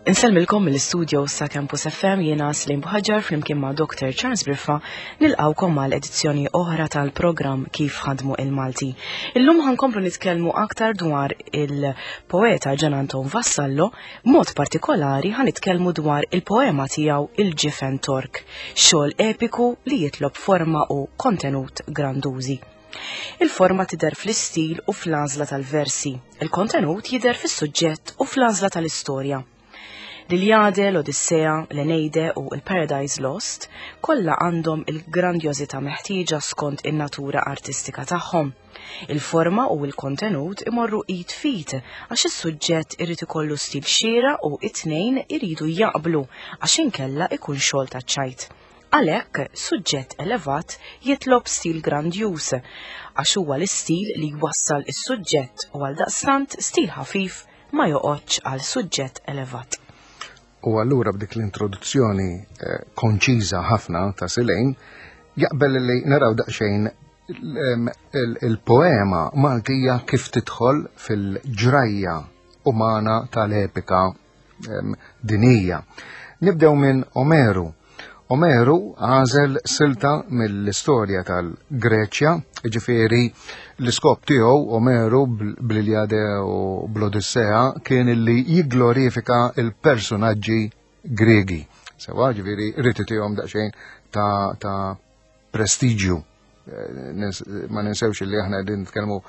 Insellmilkom mill-istudio sa Campus FM jiena Slim Buħaġar flimkien ma' Dr. Charles Briffa nilqawkom għal edizzjoni oħra tal-programm Kif ħadmu il-Malti. Illum ħankomplu nitkellmu aktar dwar il-poeta Ġan Anton Vassallo, b'mod partikolari ħanitkellmu dwar il-poema tiegħu Il-Ġifen Tork, xogħol epiku li jitlob forma u kontenut grandużi. Il-forma tidher fl-istil u fl-għażla tal-versi, il-kontenut jidher fis-suġġett u fl-għażla tal-istorja. L-Iliade, l-Odissea, l-Eneide u l-Paradise Lost kollha għandhom il-grandjożità meħtieġa skont in-natura artistika tagħhom. Il-forma u l-kontenut imorru id f'id għax is-suġġett irid ikollu stil xieraq u it-tnejn iridu jaqblu għax inkella ikun xogħol taċ-ċajt. Għalhekk, suġġett elevat jitlob stil grandjuż, għax huwa l-istil li jwassal is-suġġett u għaldaqstant stil ħafif ma joqgħodx għal suġġett elevat. U allura b'dik l-introduzzjoni eh, konċiża ħafna ta' Silejn, jaqbel li naraw daqsxejn il-poema Maltija kif tidħol fil-ġrajja umana tal-epika dinija. Nibdew minn Omeru. Omeru għażel silta mill-istorja tal-Greċja, ġifieri l-iskop tiegħu Omeru bl-Iliade u bl-Odissea kien li jigglorifika il-personaġġi Gregi. Sewa, ġifieri rrid itihom daqsxejn ta', ta prestiġju. Eh, ma ninsewx li aħna qegħdin nitkellmu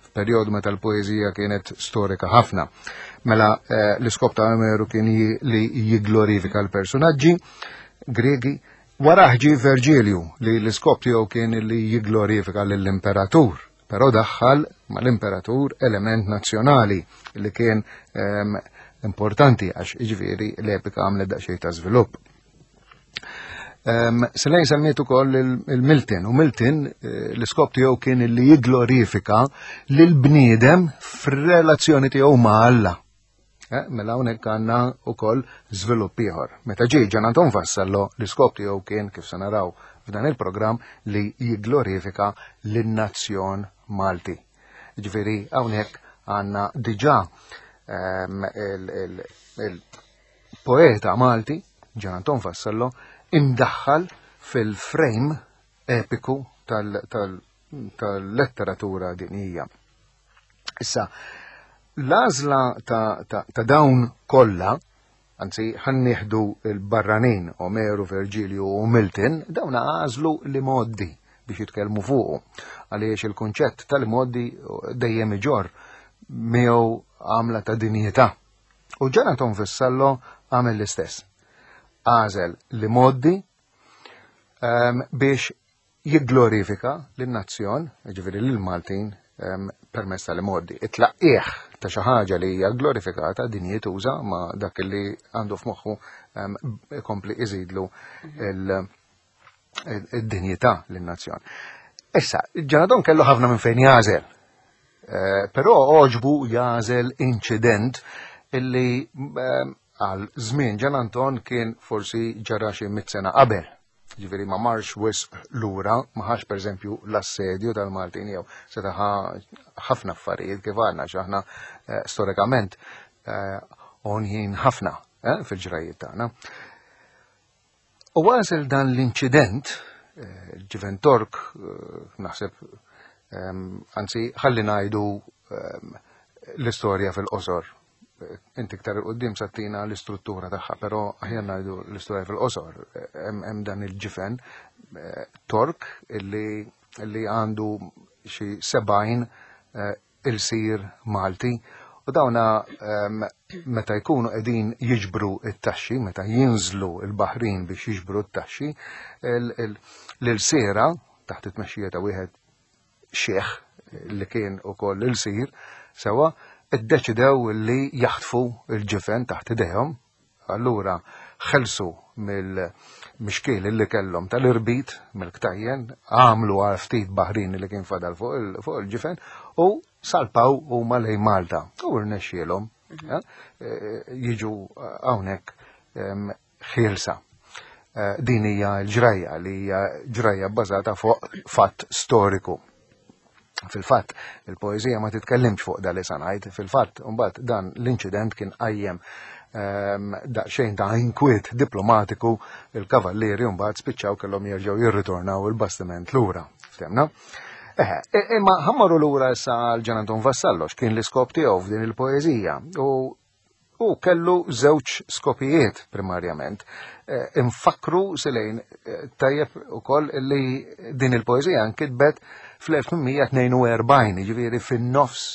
f'perjodu meta l-poeżija kienet storika ħafna. Mela eh, l-iskop ta' Omeru kien li jigglorifika l-personaġġi Gregi. Wara ġie Verġilju li l-iskop tiegħu kien li jigglorifika lill-imperatur, però daħħal mal-imperatur element nazzjonali li kien ehm, importanti għax iġifieri l-epika għamlet daqsxejn ta' żvilupp. Um, Selejn semmiet ukoll il-Milton, u Milton eh, l-iskop tiegħu kien li jigglorifika lil bniedem fir-relazzjoni tiegħu ma' Alla. Eh, mela hawnhekk għandna wkoll żvilupp ieħor. Meta ġie Ġan Anton Vassallo l-iskop tiegħu kien kif se naraw f'dan il-programm li jigglorifika lin-nazzjon Malti. Ġifieri hawnhekk għandna diġà ehm, il Poeta Malti, Ġan Anton Vassallo, imdaħħal fil-frame epiku tal-letteratura dinjija. Issa, l-għażla ta', ta, ta dawn kollha, anzi ħannieħdu il-barranin Omeru, Verġilju u Milton, dawn għażlu li moddi biex jitkellmu fuqu. Għaliex il-kunċett tal-moddi dejjem iġorr miegħu għamla ta' dinjità. U Jonathan Vassallo għamel l-istess. Għażel li moddi um, biex jigglorifika lin-nazzjon, ġifieri lill-Maltin, um, permezz tal-imoddi. It-tlaqqieħ ta' xi ħaġa li hija glorifikata din jituża ma' dak li għandu f'moħħu um, ikompli iżidlu id-dinjità lin-nazzjon. Issa, Ġanadon kellu ħafna minn fejn jażel. Eh, però oġbu jażel inċident illi eh, għal żmien Ġan Anton kien forsi ġara xi mit sena qabel. Ġifieri ma marx wisq lura, ma ħax pereżempju l-assedju tal-Maltin jew seta' ħafna affarijiet kif għandna x'aħna eh, storikament onjin ħafna fil-ġrajiet tagħna. U għażel dan l-inċident, eh, ġiven Tork, eh, naħseb, ehm, anzi, ħalli ngħidu ehm, l-istorja fil-qosor. Eh, inti iktar il-qoddim sattina l-istruttura tagħha, però aħjar ngħidu l-istorja fil-qosor. Hemm dan il-ġifen Tork illi għandu xi 70 ilsir Malti u dawna ehm, meta jkunu qegħdin jiġbru t-taxxi, meta jinżlu l-baħrin biex jiġbru t-taxxi, l-ilsiera taħt it-tmexxija ta' wieħed xieħ li kien ukoll ilsir, sewa, iddeċidew li jaħtfu l-ġifen taħt idejhom Allura ħelsu mill-mixkiel li kellhom tal-irbit mill-ktajjen, għamlu għal ftit baħrin li kien fadal fuq il-ġifen u salpaw huma lejn Malta. U rnexxielhom mhm. eh, eh, jiġu hawnhekk ħielsa. Eh, din hija l-ġrajja li hija ġrajja bbażata fuq fatt storiku. Fil-fatt, il-poeżija ma titkellimx fuq dal ngħid, fil-fatt, mbagħad dan l-inċident kien qajjem daqsxejn ta' inkwiet diplomatiku il-kavallieri mbagħad spiċċaw kellhom jerġgħu jirritornaw il-bastiment lura. Ftemna? Eħe, imma ħammaru lura issa għal Ġan Anton Vassallo x'kien l-iskop tiegħu f'din il-poeżija u Hu kellu żewġ skopijiet primarjament. Eh, infakru silejn eh, tajjeb ukoll li din il-poeżija nkitbet fl-1842, jiġifieri fin-nofs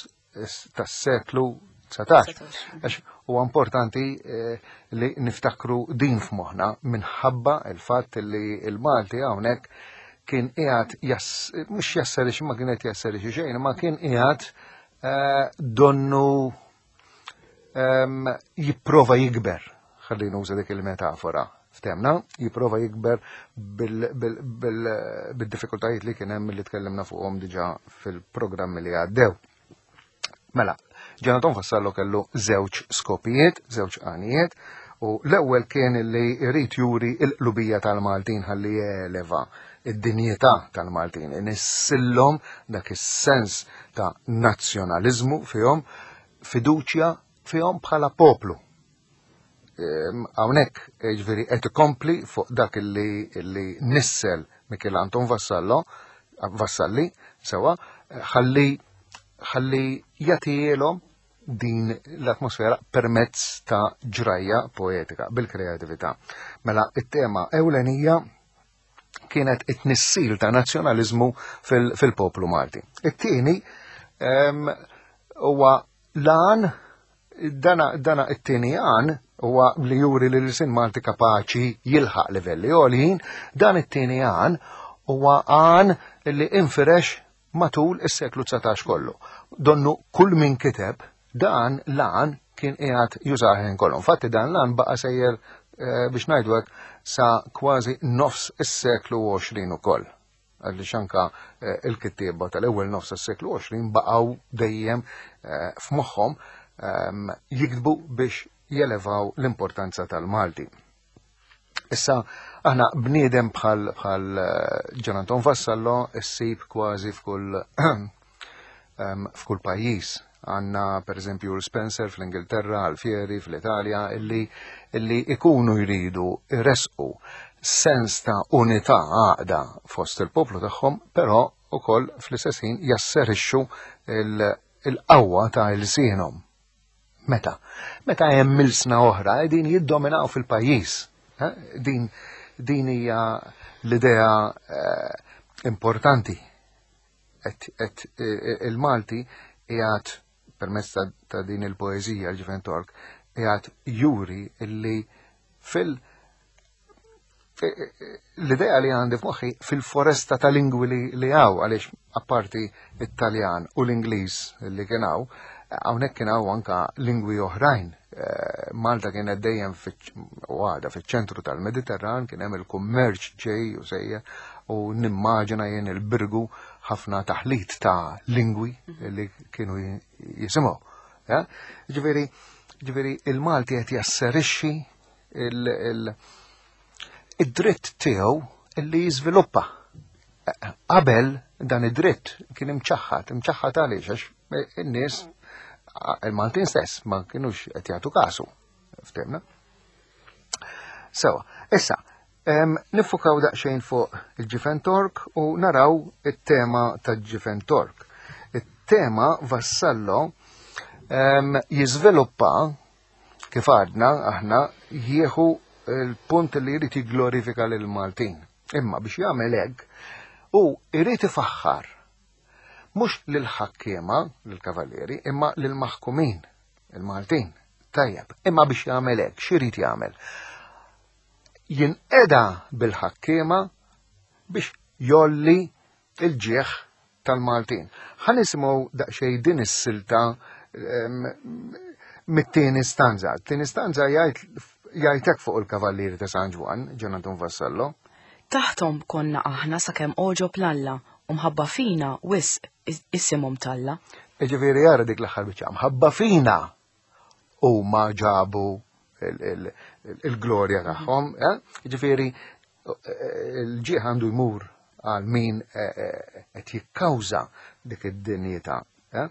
tas-seklu 19. Għax huwa importanti eh, li niftakru din f'moħħna minħabba il-fatt li il-Malti hawnhekk kien qiegħed mhux jasserix ma kienet jasserixi xejn, ma kien qiegħed donnu jipprova jikber, ħalli nuża dik il-metafora, ftemna, jipprova jikber bil-diffikultajiet li kien hemm li tkellimna fuqhom diġà fil-programmi li għaddew. Mela, Ġanaton Vassallo kellu żewġ skopijiet, żewġ għanijiet, u l-ewwel kien li jrid juri l-qlubija tal-Maltin ħalli jeleva id-dinjità tal-Maltin, inissillhom dak is-sens ta' nazzjonaliżmu fihom, fiduċja fihom bħala poplu. Ehm, hawnhekk jiġifieri qed ikompli fuq dak li, li nissel Michel Anton Vassallo, Vassalli, sewa, ħalli ħalli jagħtielhom din l-atmosfera permezz ta' ġrajja poetika bil-kreatività. Mela it-tema ewlenija kienet it-tnissil ta' nazzjonaliżmu fil-poplu Malti. It-tieni huwa lan dana, dana it-tieni għan huwa li juri li l-sin Malti kapaċi jilħaq livelli għoljin, dan it-tieni għan huwa għan li infirex matul is-seklu 19 kollu. Donnu kull min kiteb dan l-għan kien qiegħed jużah kollu. Infatti dan l-għan baqa' sejjer eh, biex ngħidu hekk sa kważi nofs is-seklu 20 ukoll. Għaliex anka eh, il-kittieba tal-ewwel nofs is-seklu 20 baqgħu dejjem eh, f'moħħhom ehm, jiktbu biex jelevaw l-importanza tal-Malti. Issa, aħna bniedem bħal bħal eh, Ġan Anton Vassallo issib kważi f'kull ehm, f'kull pajjiż. Għanna per eżempju Spencer fl-Ingilterra, Alfieri fl-Italja, illi, illi ikunu jridu resqu sens ta' unità għaqda fost il-poplu tagħhom, però ukoll fl-istess ħin jasserixxu il-qawwa ta' ilsienhom. Meta? Meta hemm ilsna oħra qegħdin jiddominaw fil-pajjiż. Eh? Din din hija l-idea eh, importanti. Et, et eh, il-Malti qiegħed permezz ta' din il-poeżija l-Ġifen Tork qiegħed juri illi fil- l-idea li għandi f'moħħi fil-foresta ta' lingwi li, li għaw, għaliex apparti it-Taljan u l-Ingliż li kien hawn, hawnhekk kien hawn anka lingwi oħrajn. Eh, Malta kienet dejjem u għada fiċ-ċentru tal-Mediterran, kien hemm il-kummerċ ġej u sejja u nimmaġina jien il-birgu ħafna taħlit ta' lingwi li kienu jisimgħu. Ġifieri, ġifieri il-Malti qed jasserixxi id-dritt tiegħu illi jiżviluppa. Qabel dan id-dritt kien imċaħħad, imċaħħad għaliex għax in-nies il-Maltin stess ma kienux qed jagħtu kasu. Ftemna? Sewa, issa, nifukaw daqsxejn fuq il-ġifen Tork u naraw it-tema ta' ġifen Tork. It-tema Vassallo jiżviluppa Kif għadna aħna jieħu l-punt li jrid jigglorifika lil Maltin. Imma biex jagħmel hekk hu jrid ifaħħar mhux lil ħakkiema, lil kavallieri, imma lil maħkumin, il-Maltin. Tajjeb, imma biex jagħmel hekk, x'irid jagħmel? Jinqeda bil-ħakkiema biex jolli il-ġieħ tal-Maltin. Ħa nisimgħu daqsxejn din is-silta mit-tieni stanza. Tieni stanza jgħid hekk fuq il-Kavallieri ta' San Ġwann, Ġan Anton Vassallo. Taħthom konna aħna sakemm għoġob l-Alla u mħabba fina wisq isimhom talla. Jiġifieri jara dik l-aħħar biċċa, mħabba fina huma ġabu il-glorja tagħhom, eh? Ġifieri il-ġieħ għandu jmur. għal min eh, eh, qed jikkawża dik id-dinjità. Eh?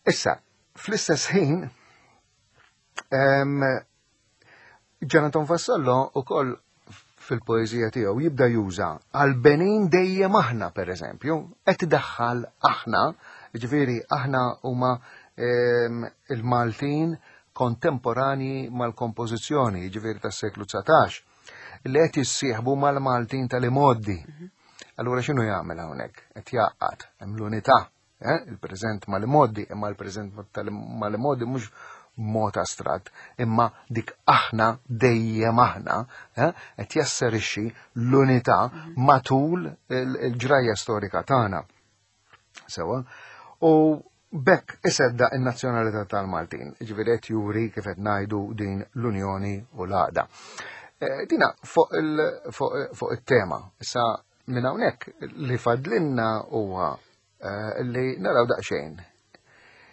Issa, fl-istess ħin, Ġanaton Vassallo ukoll fil-poeżija tiegħu jibda juża għal-benin dejjem aħna pereżempju, qed idaħħal aħna, ġifieri aħna huma il-Maltin kontemporanji mal-kompożizzjoni, ġifieri tas-seklu 19, li qed jissieħbu mal-Maltin tal-imoddi. Mhm. Allura x'inhu jagħmel hawnhekk? Qed jgħaqqad hemm l-unità Eh, il-preżent mal-imoddi, imma l-preżent mal-imoddi mhux mod astratt, imma dik aħna dejjem aħna eh, qed jasserixxi l-unità mhm. matul il-ġrajja storika tagħna. Sewa, u bekk isedda in-nazzjonalità tal-Maltin, ġifieri qed juri kif qed ngħidu din l-Unjoni u l-għaqda. Eh, dina fuq it-tema. Issa Minn hawnhekk li fadlinna huwa eh, li naraw daqsxejn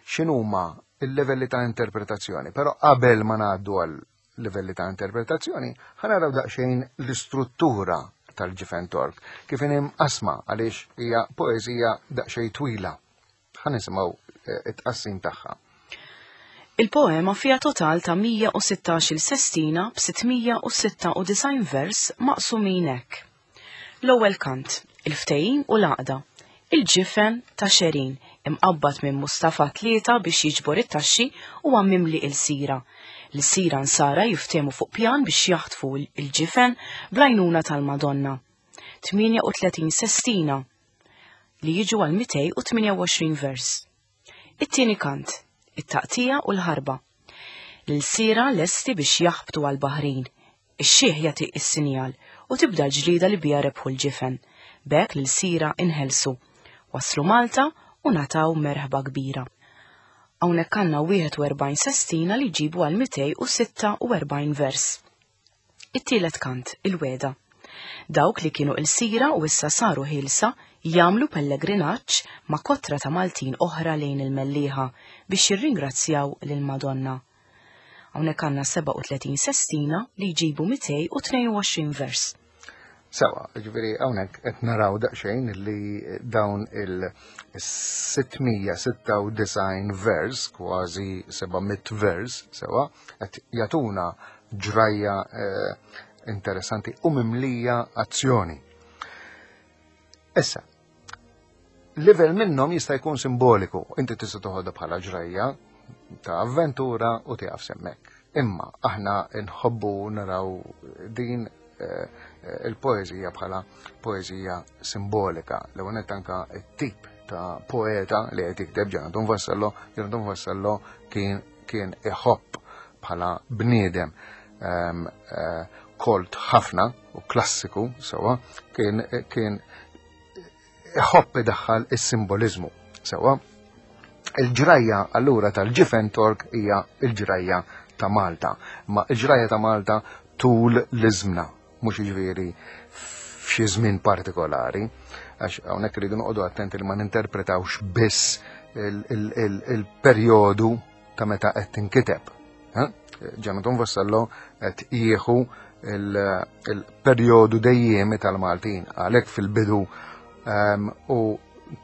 x'inhuma il-livelli ta' interpretazzjoni, però qabel ma ngħaddu għal livelli ta' interpretazzjoni, ħanaraw daqsxejn l-istruttura tal-ġifen Tork, kif inhi mqasma għaliex hija poeżija daqsxejn twila. Ħa nisimgħu eh, it-tqassim tagħha. Il-poema fiha total ta' 116-il sestina b'696 vers maqsumin hekk. L-ewwel kant, il-ftehim u l-għaqda. Il-ġifen ta' Xerin, imqabbad minn Mustafa Tlieta biex jiġbor it-taxxi huwa mimli ilsira. L-ilsira Nsara jiftehmu fuq pjan biex jaħtfu l-ġifen bl-għajnuna tal-Madonna. 38 sestina li jiġu għal 228 vers. It-tieni kant, it-taqtija u l-ħarba. L-ilsiera lesti biex jaħbtu għall-baħrin. Ix-xiħ jagħti s-sinjal u tibda l-ġlieda li biha rebħu l-ġifen. B'hekk l-ilsira inħelsu. Waslu Malta u ngħataw merħba kbira. Hawnhekk għandna 41 sestina li jġibu għal 246 vers. It-tielet kant, il-wegħda. Dawk li kienu ilsira u issa saru ħielsa jagħmlu pellegrinaġġ ma' kotra ta' Maltin oħra lejn il-Mellieħa biex jirringrazzjaw lill-Madonna. Hawnhekk għandna 37 sestina li jġibu 222 vers. Sewa, ġifieri hawnhekk qed naraw daqsxejn li dawn il-696 vers, kważi 700 vers, sewa, qed jagħtuna ġrajja eh, interessanti u mimlija azzjoni. Issa, level minnhom jista' jkun simboliku, inti tista' toħodha bħala ġrajja ta' avventura u tieqaf semmek. Imma aħna nħobbu naraw din eh, il-poeżija bħala poeżija simbolika. L-ewwel anka t-tip ta' poeta li qed jikteb Ġanatun Vassallo, Ġanatun Vassallo kien kien iħobb bħala bniedem ehm, eh, kolt ħafna u klassiku sewa kien kien iħobb idaħħal is-simboliżmu sewwa. Il-ġrajja allura tal-ġifen Tork hija l-ġrajja ta' Malta. Ma l-ġrajja ta' Malta tul l-iżmna, mhux jiġifieri f'xi żmien partikolari, għax hawnhekk irridu noqogħdu attenti li ma ninterpretawx biss il-perjodu ta' meta qed tinkiteb. Ġanaton Vassallo qed jieħu il-perjodu dejjemi tal-Maltin għalhekk fil-bidu ehm, u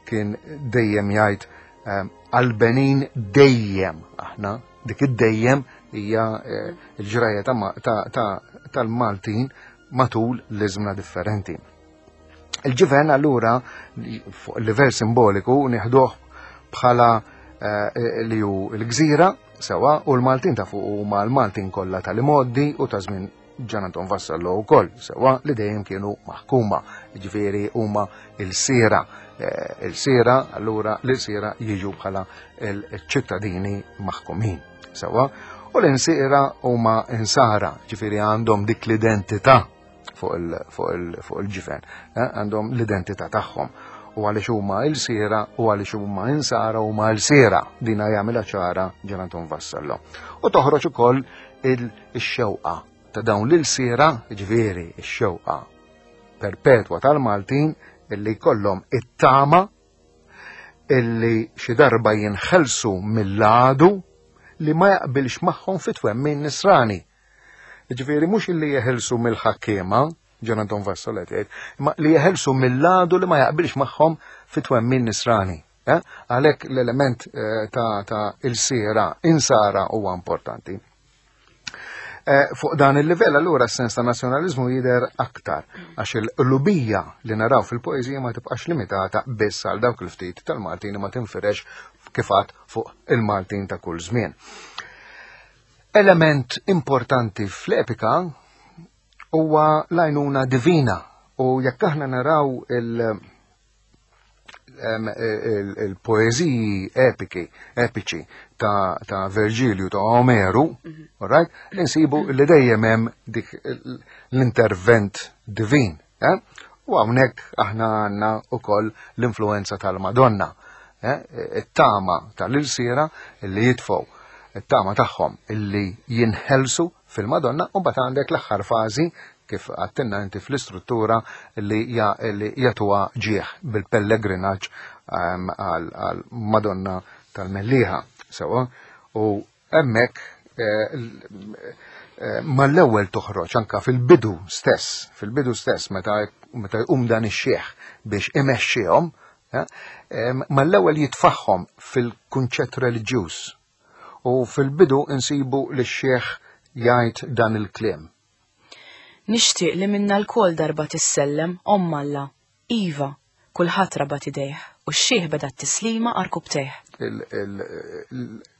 kien dejjem jgħid ehm, għal-Benin dejjem aħna dik id-dejjem hija eh, l-ġrajja tal-Maltin matul l-iżmna differenti. Il-ġifen allura fuq livell simboliku nieħduh bħala eh, li hu l-gżira sewa u l-Maltin ta' fuq huma l-Maltin kollha tal-imoddi u ta' żmien Ġan Anton Vassallo wkoll sewa li dejjem kienu maħkuma, ġifieri huma il-sira. Eh, il-sira allura l-sira jiġu bħala l-ċittadini maħkumin sewa u l-insira huma insara, ġifieri għandhom dik l-identità fuq il-ġifen, eh, għandhom l-identità tagħhom. U għaliex huma il-sira u għaliex huma insara huma l-sira dina jagħmilha ċara Ġeranton Vassallo. U toħroġ ukoll il-xewqa ta' dawn l-ilsiera, ġifieri x-xewqa perpetwa tal-Maltin illi jkollhom it-tama illi xi darba jinħelsu mill-għadu li ma jaqbilx magħhom fit-twemmin nisrani. Ġifieri mhux illi jeħilsu mill-ħakkiema, Ġan Anton Vassallo qed jgħid, imma li jeħelsu mill-għadu li ma jaqbilx magħhom fit-twemmin nisrani. Eh? Għalhekk l-element eh, ta', ta il-sira insara huwa importanti. Eh, fuq dan il-livell allura s-sens ta' nazzjonaliżmu jidher aktar għax il-qlubija li naraw fil-poeżija ma tibqax limitata biss għal dawk il-ftit tal-Maltin ma tinfirex kifat fuq il-Maltin ta' kull żmien. Element importanti fl-epika huwa l-għajnuna divina u jekk aħna naraw il- il-poeziji epiki, epiċi ta', ta Verġilju, ta' Omeru, mhm. right, insibu li dejjem hemm dik l-intervent divin. Eh? U hawnhekk aħna għandna wkoll l-influenza tal-Madonna, eh? it-tama tal-ilsiera li jitfgħu it-tama tagħhom illi jinħelsu fil-Madonna u mbagħad għandek l-aħħar fażi kif għattinna inti fl-istruttura li jagħtuha ġieħ bil-pellegrinaġġ ehm, għal Madonna tal-Mellieħa. Sewa, u hemmhekk eh, eh, mal-ewwel toħroġ anka fil-bidu stess, fil-bidu stess meta meta jqum dan ix-xieħ biex imexxihom, eh, ehm, mal-ewwel jitfaħħom fil-kunċett reliġjuż. U fil-bidu insibu li x-xieħ jgħid dan il-kliem. Nixtieq li minna lkoll darba tissellem, Omm Alla. Iva, kulħadd rabat idejh, u x-xiħ beda t-tislima għarkupptejh.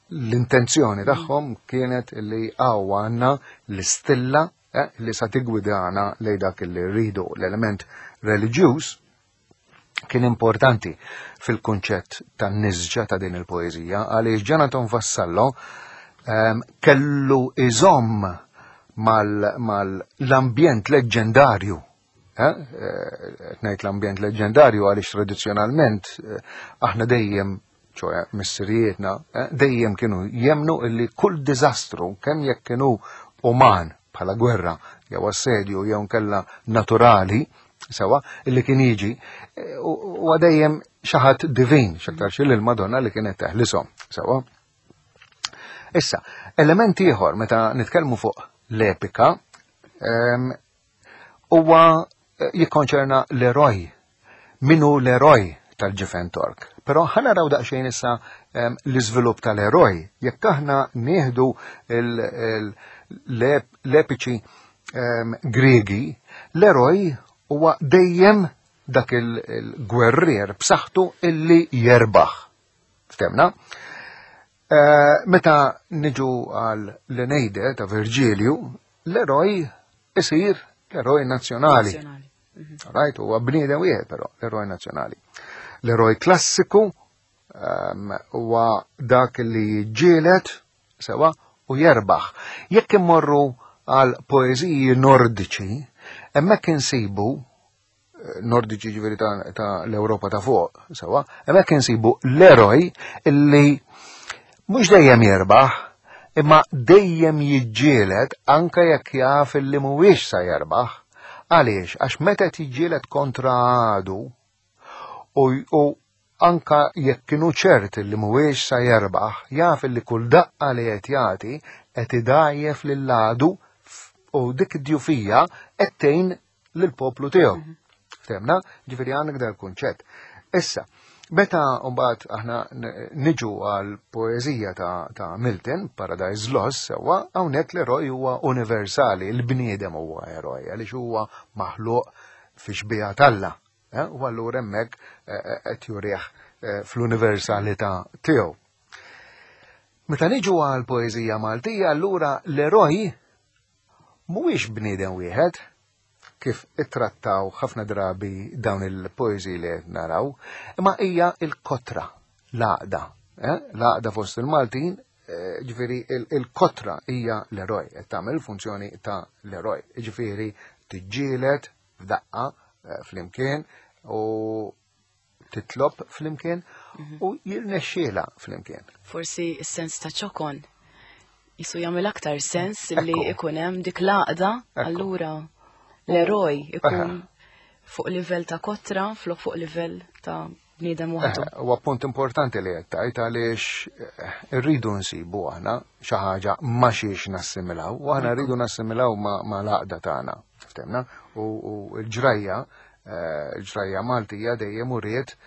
L-intenzjoni tagħhom kienet li hawn għandna l-istilla eh, li sa tigwidana lejn dak li rridu. L-element reliġjuż kien importanti fil-kunċett tan-nisġa ta' din il-poeżija għaliex Jonathan Vassallo um, kellu iżomm mal-ambjent mal leġġendarju. Eh? eh ngħid l-ambjent leġġendarju għaliex tradizzjonalment eh, aħna dejjem ċoħe missirijietna, eh, dejjem kienu jemnu illi kull diżastru kemm jekk kienu uman bħala gwerra jew assedju jew nkella naturali sewa, illi kien jiġi, eh, u dejjem xi ħadd divin, x'aktar xi l-Madonna li kienet teħlisom, sewa. Issa, element ieħor meta nitkellmu fuq l-epika, ehm, huwa eh, jikkonċerna l-eroj. Minu l-eroj tal-ġifen Tork. Però ħana raw daqsxejn issa ehm, l-iżvilupp tal-eroj. Jekk aħna nieħdu l-epiċi ehm, Griegi, l-eroj huwa dejjem dak il-gwerrier b'saħħtu illi jerbaħ. Ftemna? Eh, meta niġu għal l-Eneide ta' Virgilju, l-eroj isir l-eroj nazzjonali. Mhm. Right, huwa bniedem wieħed però l-eroj nazzjonali. L-eroj klassiku ehm, huwa dak li ġielet sewa u jerbaħ. Jekk immorru għal poeżiji nordiċi, hemmhekk insibu eh, nordiċi ġifieri ta', ta l-Ewropa ta' fuq, sewa, hemmhekk insibu l-eroj illi mhux dejjem jerbaħ, imma dejjem jiġġieled anke jekk jaf illi mhuwiex sa jerbaħ. Għaliex? Għax meta jiġġieled kontra għadu u, u anka jekk kienu ċert li mhuwiex sa jerbaħ, jaf li kull daqqa li qed jagħti qed idgħajjef lill-għadu u dik id-djufija qed tgħin lill-poplu tiegħu. Mhm. Ftemna? Ġifieri għandek dal kunċett. Issa, meta mbagħad aħna niġu għal poeżija ta', ta Milton, Paradise Lost, sewwa hawnhekk l-eroj huwa universali, il-bniedem huwa eroj, għaliex huwa maħluq fi xbieha t'Alla. Eh, u allura hemmhekk eh, eh, qed jurih fl-universalità tiegħu. Meta niġu għal poeżija Maltija, allura l-eroj mhuwiex bniedem wieħed kif ittrattaw ħafna drabi dawn il-poeżiji li qed naraw, imma hija l-kotra, l-għaqda. L-għaqda fost il-Maltin, ġifieri il-kotra hija l-eroj, qed tagħmel il-funzjoni ta' l-eroj. Ġifieri tiġġieled f'daqqa eh, flimkien u titlob flimkien mhm. u jirnexxiela flimkien. Forsi s-sens ta' ċokon jisu jagħmel aktar sens li ikun hemm dik l-għaqda allura l-eroj ikun fuq livell ta' kotra flok fuq livell ta' bniedem waħdu. Eh, huwa punt importanti li qed tgħid għaliex eh, irridu nsibu aħna xi ħaġa ma xiex nassimilaw, u aħna rridu nassimilaw ma l-għaqda tagħna, ftemna, u l-ġrajja, eh, l-ġrajja Maltija dejjem uriet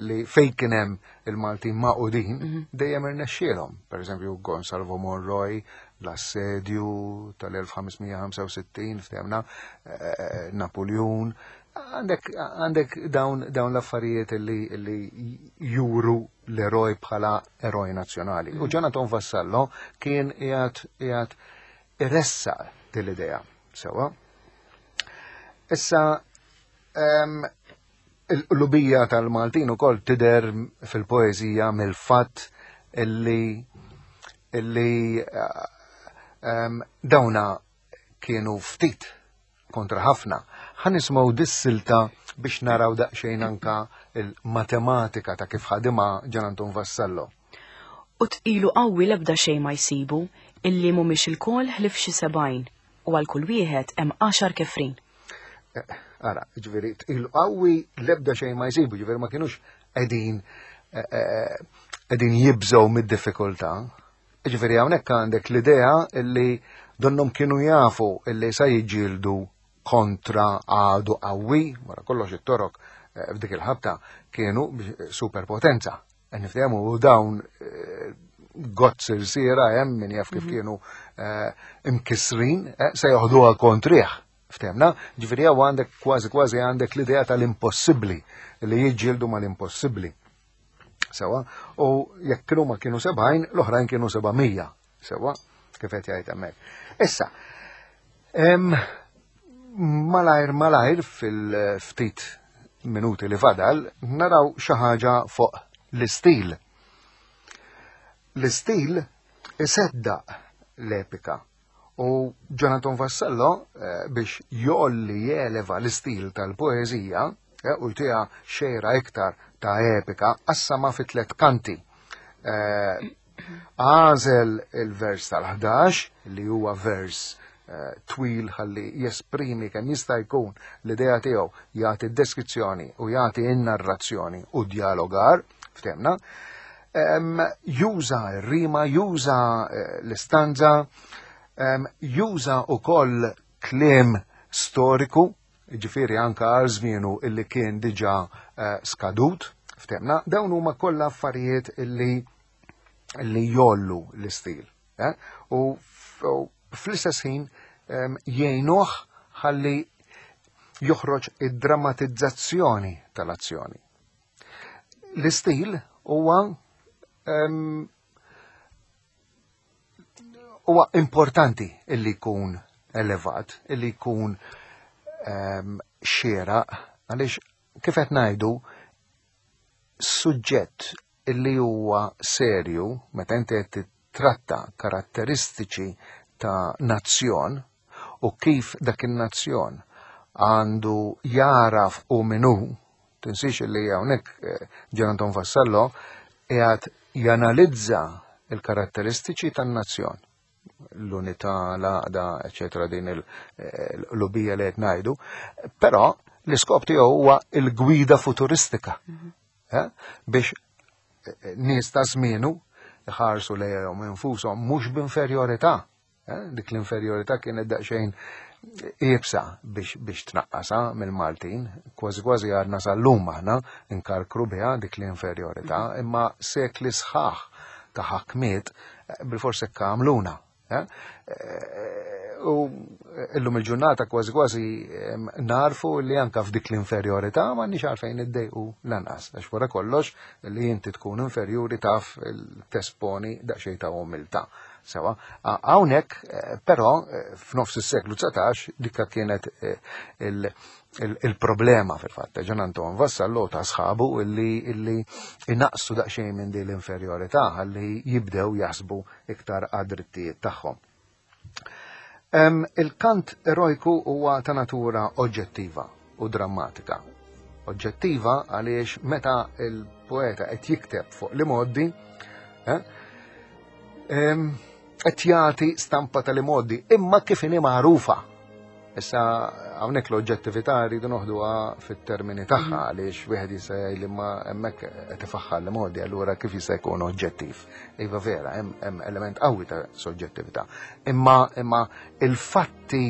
li fejn kien hemm il-Maltin maqudin mhm. dejjem irnexxielhom. Per eżempju Gonsalvo Monroy, l-assedju tal-1565 ftemna, Napoleon, Għandek għandek dawn dawn l-affarijiet li, li juru l-eroj bħala eroj nazzjonali. U mm. Jonathan Vassallo kien qiegħed qiegħed iressa dil-idea. Sewa. Issa il-qlubija tal-Maltin ukoll tidher fil-poeżija mill-fatt illi illi dawna kienu ftit kontra ħafna. Ħa nisimgħu dis-silta biex naraw daqsxejn anka il-matematika ta' kif ħadimha Ġan Anton Vassallo. U tqilu qawwi l-ebda xejn ma jsibu, illi mhumiex ilkoll ħlief xi 70, u għal kull wieħed hemm għaxar kefrin. Eh, ara, ġifieri tqilu qawwi l-ebda xejn ma jsibu, ġifieri ma kinux qegħdin eh, eh, qegħdin jibżgħu mid-diffikultà. Ġifieri hawnhekk għandek l-idea illi donnhom kienu jafu illi sa jiġġieldu kontra għadu qawwi, wara kollox it-Torok eh, f'dik il-ħabta kienu superpotenza. Eh, niftehmu u dawn eh, gozz irsiera hemm min jaf kif mhm. kienu imkisrin se joħduha kontrih. Ftemna, ġifieri hawn għandek kważi kważi għandek l-idea tal-impossibbli li jiġġieldu mal-impossibbli. Sewa, u jekk kienu ma kienu 70, l-oħrajn kienu 700. Sewa, kif qed jgħid hemmhekk. Issa, malajr malajr fil-ftit minuti li fadal, naraw xi ħaġa fuq l-istil. L-istil iseddaq l-epika. U Jonathan Vassallo eh, biex jolli jeleva l-istil tal-poeżija eh, u jtiha xejra iktar ta' epika qassama fi tliet kanti. Eh, għażel il-vers tal-11 li huwa vers twil ħalli jesprimi kemm jista' jkun l-idea tiegħu jagħti deskrizzjoni u jagħti n-narrazzjoni u dialogar ftemna. Juża r-rima, juża eh, l-istanza, juża wkoll kliem storiku, ġifieri anka għal żmienu illi kien diġà eh, skadut, ftemna, dawn huma kollha affarijiet illi li jollu l-istil. Eh? U fl-istess ħin jgħinuh ħalli joħroġ id-drammatizzazzjoni tal-azzjoni. L-istil huwa huwa importanti illi jkun elevat, illi jkun xieraq, għaliex kif qed ngħidu suġġett illi huwa serju meta inti qed titratta karatteristiċi ta' nazzjon u kif dak in-nazzjon għandu jaraf u min hu, tinsiex li hawnhekk eh, Gian Anton Vassallo qiegħed janalizza il-karatteristiċi tan-nazzjon l-unità, l-għaqda, eċetera, din il-lubija li qed ngħidu, però l-iskop tiegħu huwa l-gwida futuristika mhm. eh, biex eh, nies ta' żmienu ħarsu lejhom infushom mhux b'inferjorità Eh, dik l-inferjorità kienet daqsxejn iebsa biex, biex tnaqqasa mill-Maltin, kważi kważi għadna sal-lum aħna nkarkru biha dik l-inferjorità, mhm. imma sekli sħaħ ta' ħakmiet eh, bil-forse għamluna. Eh? U illum il-ġurnata kważi kważi narfu li anka f'dik l-inferjorità ma nix għalfejn iddejqu lanqas, għax wara kollox li inti tkun inferjuri taf tesponi daqsxejn ta' umiltà. Sewa, hawnhekk eh, però eh, f'nofs is-seklu 19 dikka kienet eh, il-problema fil-fatt. Ġan Anton Vassallo ta' sħabu illi illi inaqsu daqsxejn minn din l-inferjorità ħalli jibdew jaħsbu iktar għad-drittijiet tagħhom. Il-kant erojku huwa ta' natura oġġettiva u drammatika. Oġġettiva għaliex meta il-poeta qed jikteb fuq li moddi, eh, qed jagħti stampa tal-imoddi, imma kif inhi magħrufa. Issa Hawnhekk l-oġġettività rridu noħduha fit-termini tagħha għaliex wieħed jista' jgħid li ma hemmhekk qed ifaħħar li modi allura kif jista' jkun oġġettiv. Iva vera, hemm element qawwi ta' soġġettività. Imma imma il-fatti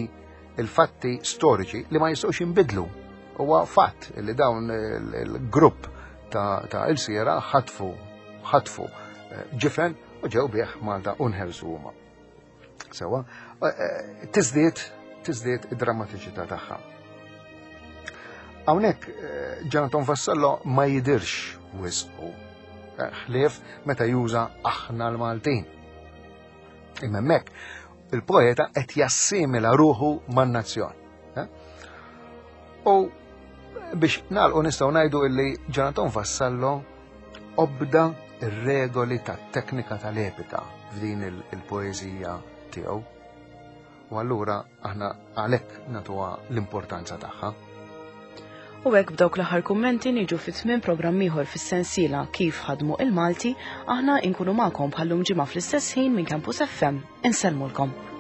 il-fatti storiċi li ma jistgħux jinbidlu. Huwa fatt li dawn il-grupp ta' il-siera ħatfu ħatfu eh, ġifen u ġew bih Malta u nħelsu huma. Sewa, eh, eh, tiżdied tiżdied id-drammatiċità tagħha. Hawnhekk Jonathan Vassallo ma jidirx wisqu ħlief meta juża aħna l-Maltin. Imma hemmhekk il-poeta qed jassimila ruħu man-nazzjon. Eh? U biex nagħlqu nistgħu ngħidu illi Jonathan Vassallo obda ir-regoli tat-teknika tal-epika f'din il-poeżija tiegħu. U allura aħna għalhekk nagħtuha l-importanza tagħha. U hekk b'dawk l-aħħar kummenti niġu fi tmiem programm ieħor fis-sensiela Kif ħadmu il-Malti, aħna inkunu magħkom bħallum ġimgħa fl-istess ħin minn Campus FM. Insellmulkom.